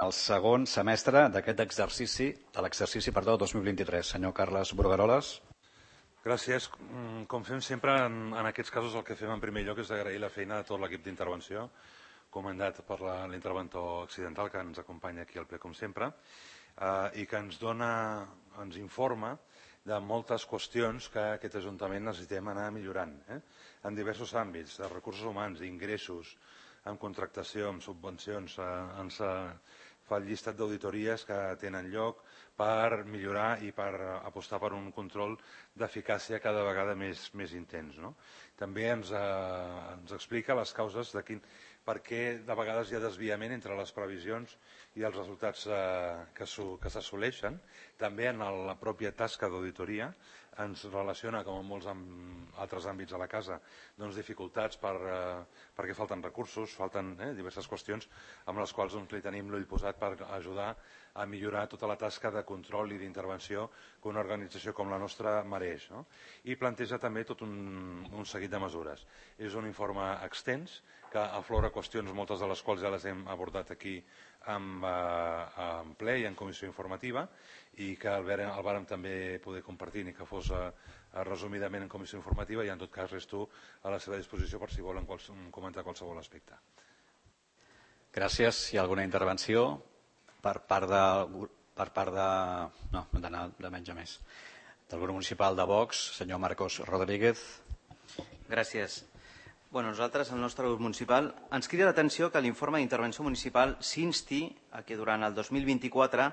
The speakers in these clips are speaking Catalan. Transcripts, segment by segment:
el segon semestre d'aquest exercici, de l'exercici 2023. Senyor Carles Brugueroles. Gràcies. Com fem sempre, en aquests casos el que fem en primer lloc és agrair la feina de tot l'equip d'intervenció, comandat per l'interventor accidental que ens acompanya aquí al ple com sempre, i que ens informa de moltes qüestions que aquest Ajuntament necessitem anar millorant, en diversos àmbits, de recursos humans, d'ingressos, en contractació, en subvencions. Ens fa el llistat d'auditories que tenen lloc per millorar i per apostar per un control d'eficàcia cada vegada més intens. També ens explica les causes de per què de vegades hi ha desviament entre les previsions i els resultats que s'assoleixen. També en la pròpia tasca d'auditoria ens relaciona, com en molts altres àmbits a la casa, dificultats perquè falten recursos, falten diverses qüestions amb les quals li tenim l'ull posat per ajudar a millorar tota la tasca de control i d'intervenció que una organització com la nostra mereix. I planteja també tot un seguit de mesures. És un informe extens que aflora qüestions, moltes de les quals ja les hem abordat aquí en ple i en comissió informativa, i que el vàrem també poder compartir ni que fos resumidament en comissió informativa, i en tot cas resto a la seva disposició per si volen comentar qualsevol aspecte. Gràcies. Hi ha alguna intervenció per part de... No, d'anar de menys a més. Del grup municipal de Vox, senyor Marcos Rodríguez. Gràcies. Nosaltres, el nostre grup municipal, ens crida l'atenció que l'informe d'intervenció municipal s'insti a que durant el 2024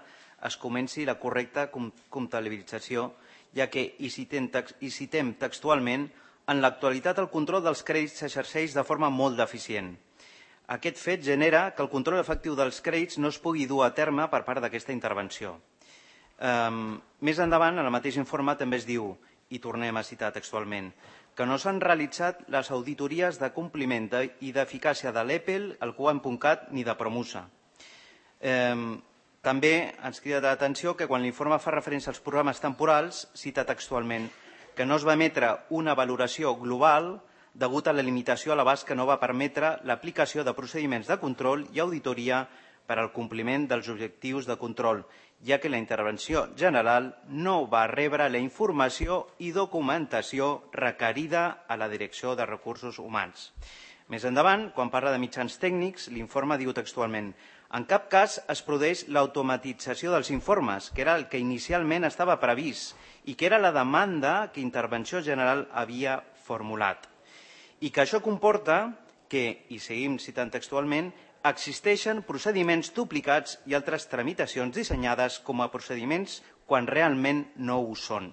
es comenci la correcta comptabilització, ja que, i citem textualment, en l'actualitat el control dels crèdits s'exerceix de forma molt deficient. Aquest fet genera que el control efectiu dels crèdits no es pugui dur a terme per part d'aquesta intervenció. Més endavant, en el mateix informe també es diu, i tornem a citar textualment, que no s'han realitzat les auditories de compliment i d'eficàcia de l'EPEL, el QAM.cat ni de Promusa. També ens crida l'atenció que quan l'informe fa referència als programes temporals, cita textualment que no es va emetre una valoració global degut a la limitació a l'abast que no va permetre l'aplicació de procediments de control i auditoria per al compliment dels objectius de control, ja que la intervenció general no va rebre la informació i documentació requerida a la Direcció de Recursos Humans. Més endavant, quan parla de mitjans tècnics, l'informe diu textualment: en cap cas es produeix l'automatització dels informes, que era el que inicialment estava previst i que era la demanda que Intervenció General havia formulat. I que això comporta que, i seguim citant textualment, existeixen procediments duplicats i altres tramitacions dissenyades com a procediments quan realment no ho són.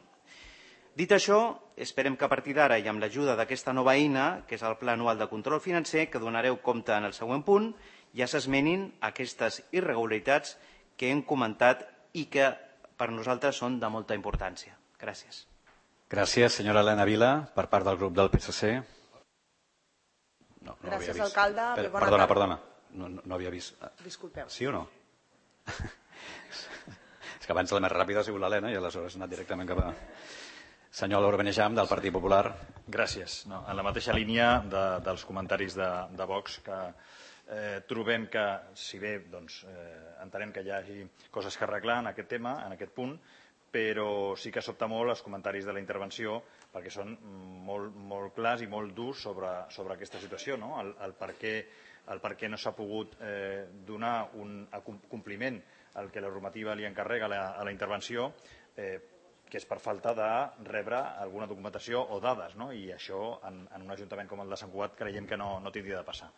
Dit això, esperem que a partir d'ara i amb l'ajuda d'aquesta nova eina, que és el Pla Anual de Control Financer, que donareu compte en el següent punt, ja s'esmenin aquestes irregularitats que hem comentat i que per nosaltres són de molta importància. Gràcies. Gràcies, senyora Elena Vila, per part del grup del PSC. Gràcies, alcalde. Perdona. No havia vist. Disculpeu. Sí o no? És que abans la més ràpida ha sigut l'Helena i aleshores ha anat directament cap a... Senyor Laura Benejam, del Partit Popular. Gràcies. En la mateixa línia dels comentaris de Vox, que trobem que, si bé entenem que hi hagi coses que arreglar en aquest tema, en aquest punt, però sí que sobta molt els comentaris de la intervenció perquè són molt clars i molt durs sobre aquesta situació, el per què no s'ha pogut donar un compliment al que la normativa li encarrega a la intervenció, que és per falta de rebre alguna documentació o dades, i això en un ajuntament com el de Sant Cugat creiem que no tindria de passar.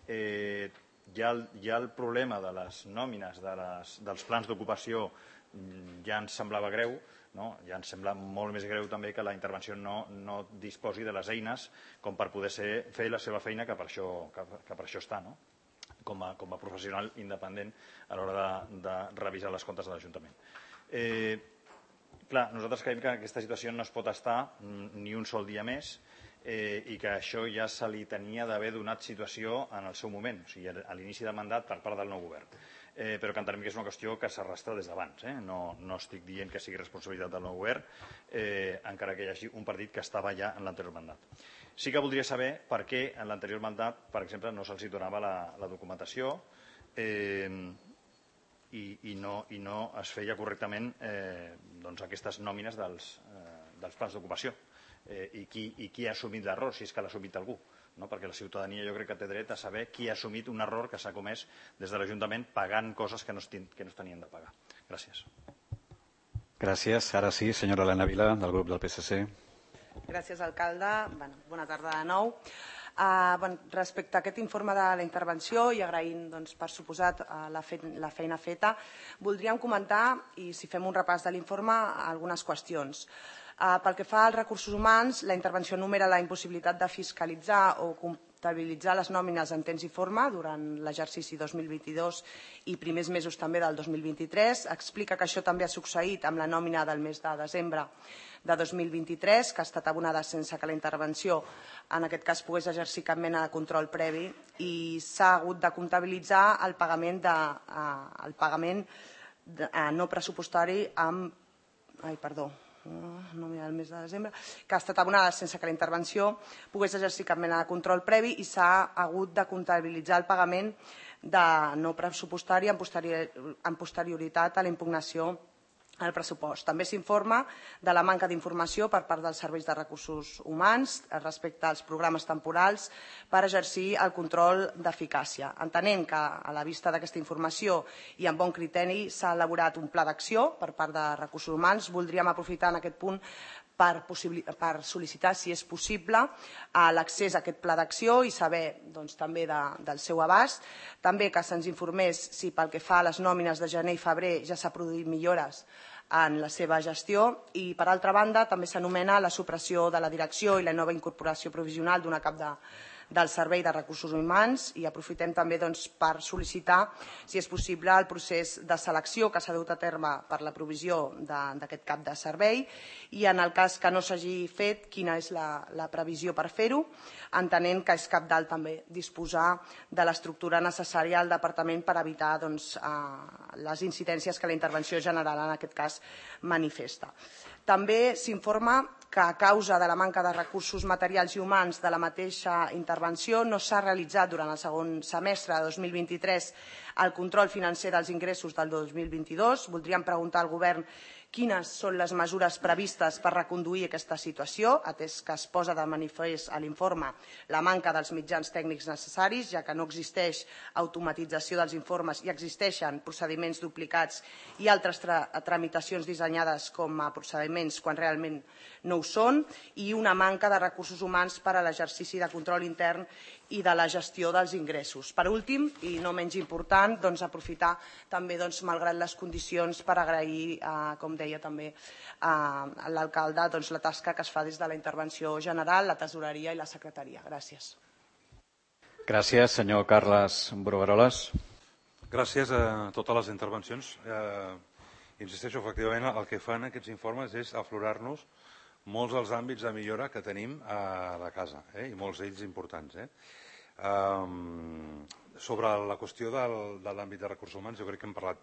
Hi ha el problema de les nòmines dels plans d'ocupació. Ja ens semblava greu, ja ens sembla molt més greu també que la intervenció no disposi de les eines com per poder fer la seva feina, que per això està, com a professional independent a l'hora de revisar les comptes de l'Ajuntament. Clar, nosaltres creiem que en aquesta situació no es pot estar ni un sol dia més i que això ja se li tenia d'haver donat situació en el seu moment, o sigui, a l'inici de mandat per part del nou govern. Però que entenem que és una qüestió que s'arrastra des d'abans. No estic dient que sigui responsabilitat del nou govern, encara que hi hagi un partit que estava ja en l'anterior mandat. Sí que voldria saber per què en l'anterior mandat, per exemple, no se'ls donava la documentació, i no es feia correctament aquestes nòmines dels plans d'ocupació. I qui ha assumit l'error, si és que l'ha assumit algú, perquè la ciutadania jo crec que té dret a saber qui ha assumit un error que s'ha comès des de l'Ajuntament pagant coses que no es tenien de pagar. Gràcies. Gràcies. Ara sí, senyora Elena Vila, del grup del PSC. Gràcies, alcalde. Bona tarda de nou. Respecte a aquest informe de la intervenció i agraint, per suposat, la feina feta, voldríem comentar, i si fem un repàs de l'informe, algunes qüestions. Pel que fa als recursos humans, la intervenció enumera la impossibilitat de fiscalitzar o comptabilitzar les nòmines en temps i forma durant l'exercici 2022 i primers mesos també del 2023. Explica que això també ha succeït amb la nòmina del mes de desembre de 2023, que ha estat abonada sense que la intervenció, en aquest cas, pogués exercir cap mena de control previ i s'ha hagut de comptabilitzar el pagament no pressupostari del mes de desembre, que ha estat abonada sense que la intervenció pogués exercir cap mena de control previ i s'ha hagut de comptabilitzar el pagament de no pressupostari en posterioritat a la impugnació al pressupost. També s'informa de la manca d'informació per part dels serveis de recursos humans respecte als programes temporals per exercir el control d'eficàcia. Entenent que, a la vista d'aquesta informació i amb bon criteri, s'ha elaborat un pla d'acció per part de recursos humans, voldríem aprofitar en aquest punt per sol·licitar, si és possible, l'accés a aquest pla d'acció i saber també del seu abast. També que se'ns informés si pel que fa a les nòmines de gener i febrer ja s'ha produït millores en la seva gestió i, per altra banda, també s'anomena la supressió de la direcció i la nova incorporació provisional d'una cap del Servei de Recursos Humans i aprofitem també per sol·licitar, si és possible, el procés de selecció que s'ha dut a terme per la provisió d'aquest cap de servei i, en el cas que no s'hagi fet, quina és la previsió per fer-ho, entenent que és cabdal també disposar de l'estructura necessària al departament per evitar les incidències que la intervenció general, en aquest cas, manifesta. També s'informa que a causa de la manca de recursos materials i humans de la mateixa intervenció no s'ha realitzat durant el segon semestre de 2023 el control financer dels ingressos del 2022. Voldríem preguntar al Govern quines són les mesures previstes per reconduir aquesta situació, atès que es posa de manifest a l'informe la manca dels mitjans tècnics necessaris, ja que no existeix automatització dels informes i existeixen procediments duplicats i altres tramitacions dissenyades com a procediments quan realment no ho són, i una manca de recursos humans per a l'exercici de control intern i de la gestió dels ingressos. Per últim, i no menys important, aprofitar també, malgrat les condicions, per agrair, com deia també a l'alcalde, la tasca que es fa des de la intervenció general, la tesoreria i la secretaria. Gràcies. Gràcies, senyor Carles Brugueroles. Gràcies a totes les intervencions. Insisteixo, efectivament, el que fan aquests informes és aflorar-nos molts dels àmbits de millora que tenim a la casa, i molts d'ells importants. Sobre la qüestió de l'àmbit de recursos humans, jo crec que hem parlat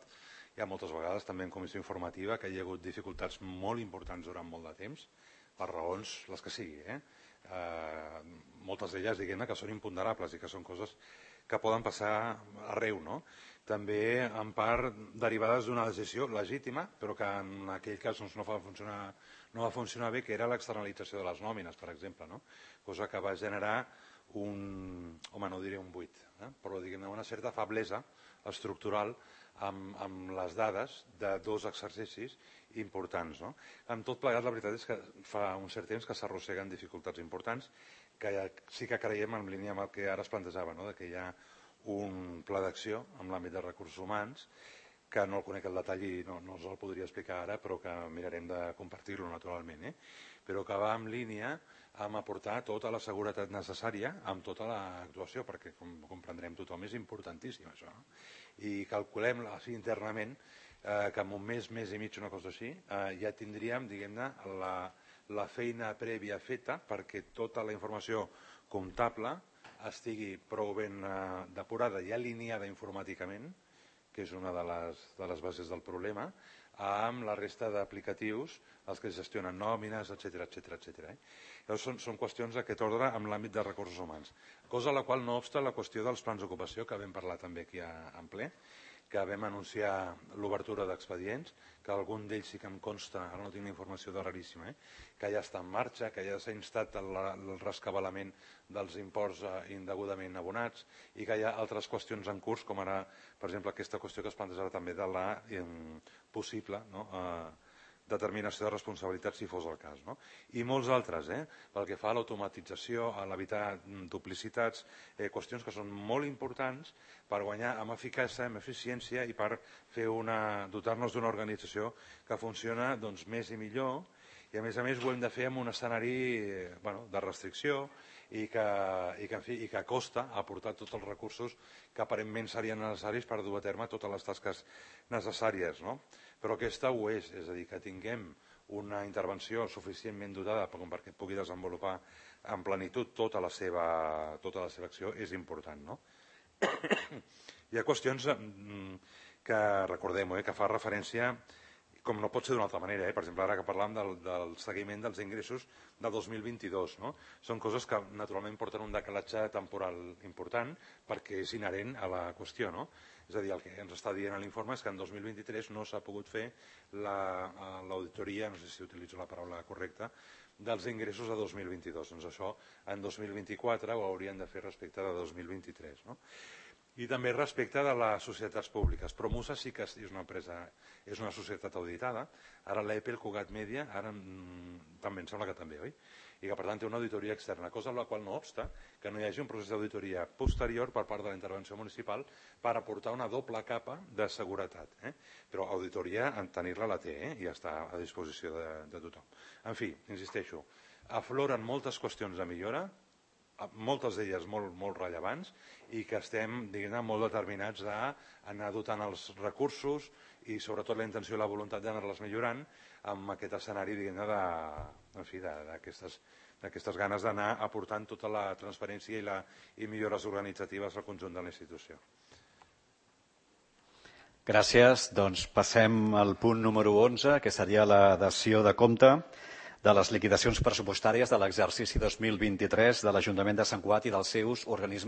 ja moltes vegades, també en comissió informativa, que hi ha hagut dificultats molt importants durant molt de temps, per raons les que sigui. Moltes d'elles, diguem-ne, que són imponderables i que són coses que poden passar arreu, no? També en part derivades d'una decisió legítima, però que en aquell cas no va funcionar bé, que era l'externalització de les nòmines, per exemple, cosa que va generar no diré un buit, però diguem-ne una certa feblesa estructural amb les dades de dos exercicis importants. Amb tot plegat, la veritat és que fa un cert temps que s'arrosseguen dificultats importants, que sí que creiem en línia amb el que ara es plantejava, que hi ha un pla d'acció en l'àmbit de recursos humans, que no el conec al detall i no us el podria explicar ara, però que mirarem de compartir-lo naturalment, però que va en línia amb aportar tota la seguretat necessària amb tota l'actuació, perquè, com comprendrem tothom, és importantíssim això. I calculem així internament que en un mes i mig, una cosa així, ja tindríem, diguem-ne, la feina prèvia feta perquè tota la informació comptable estigui prou ben depurada i alineada informàticament, que és una de les bases del problema, amb la resta d'aplicatius, els que gestionen nòmines, etc. Llavors són qüestions d'aquest ordre amb l'àmbit de recursos humans. Cosa a la qual no obsta la qüestió dels plans d'ocupació, que vam parlar també aquí en ple, que vam anunciar l'obertura d'expedients, que algun d'ells sí que em consta, ara no tinc la informació de raríssima, que ja està en marxa, que ja s'ha instat el rescabalament dels imports indegudament abonats i que hi ha altres qüestions en curs, com ara, per exemple, aquesta qüestió que es plantejarà també de la possible determinació de responsabilitat si fos el cas. I molts altres, pel que fa a l'automatització, a l'evitar duplicitats, qüestions que són molt importants per guanyar amb eficàcia, amb eficiència i per dotar-nos d'una organització que funciona més i millor, i a més ho hem de fer en un escenari de restricció i que costa aportar tots els recursos que aparentment serien necessaris per dur a terme totes les tasques necessàries. Però aquesta ho és a dir, que tinguem una intervenció suficientment dotada perquè pugui desenvolupar en plenitud tota la seva acció és important. Hi ha qüestions que recordem, que fa referència, com no pot ser d'una altra manera, per exemple, ara que parlàvem del seguiment dels ingressos de 2022. Són coses que naturalment porten un decalatge temporal important perquè és inherent a la qüestió. És a dir, el que ens està dient l'informe és que en 2023 no s'ha pogut fer l'auditoria, no sé si utilitzo la paraula correcta, dels ingressos de 2022. Doncs això en 2024 ho haurien de fer respecte de 2023. I també respecte de les societats públiques. Promusa sí que és una empresa, és una societat auditada. Ara l'EPE, el Cugat Media, ara també em sembla que també, oi? I que per tant té una auditoria externa, cosa amb la qual no obsta que no hi hagi un procés d'auditoria posterior per part de la intervenció municipal per aportar una doble capa de seguretat. Però auditoria, en tenir-la la té i està a disposició de tothom. En fi, insisteixo, afloren moltes qüestions de millora, moltes d'elles molt rellevants i que estem molt determinats a anar dotant els recursos i sobretot la intenció i la voluntat d'anar-les millorant amb aquest escenari d'aquestes ganes d'anar aportant tota la transparència i millores organitzatives al conjunt de la institució. Gràcies. Doncs passem al punt número 11, que seria la dació de compte de les liquidacions pressupostàries de l'exercici 2023 de l'Ajuntament de Sant Cugat i dels seus organismes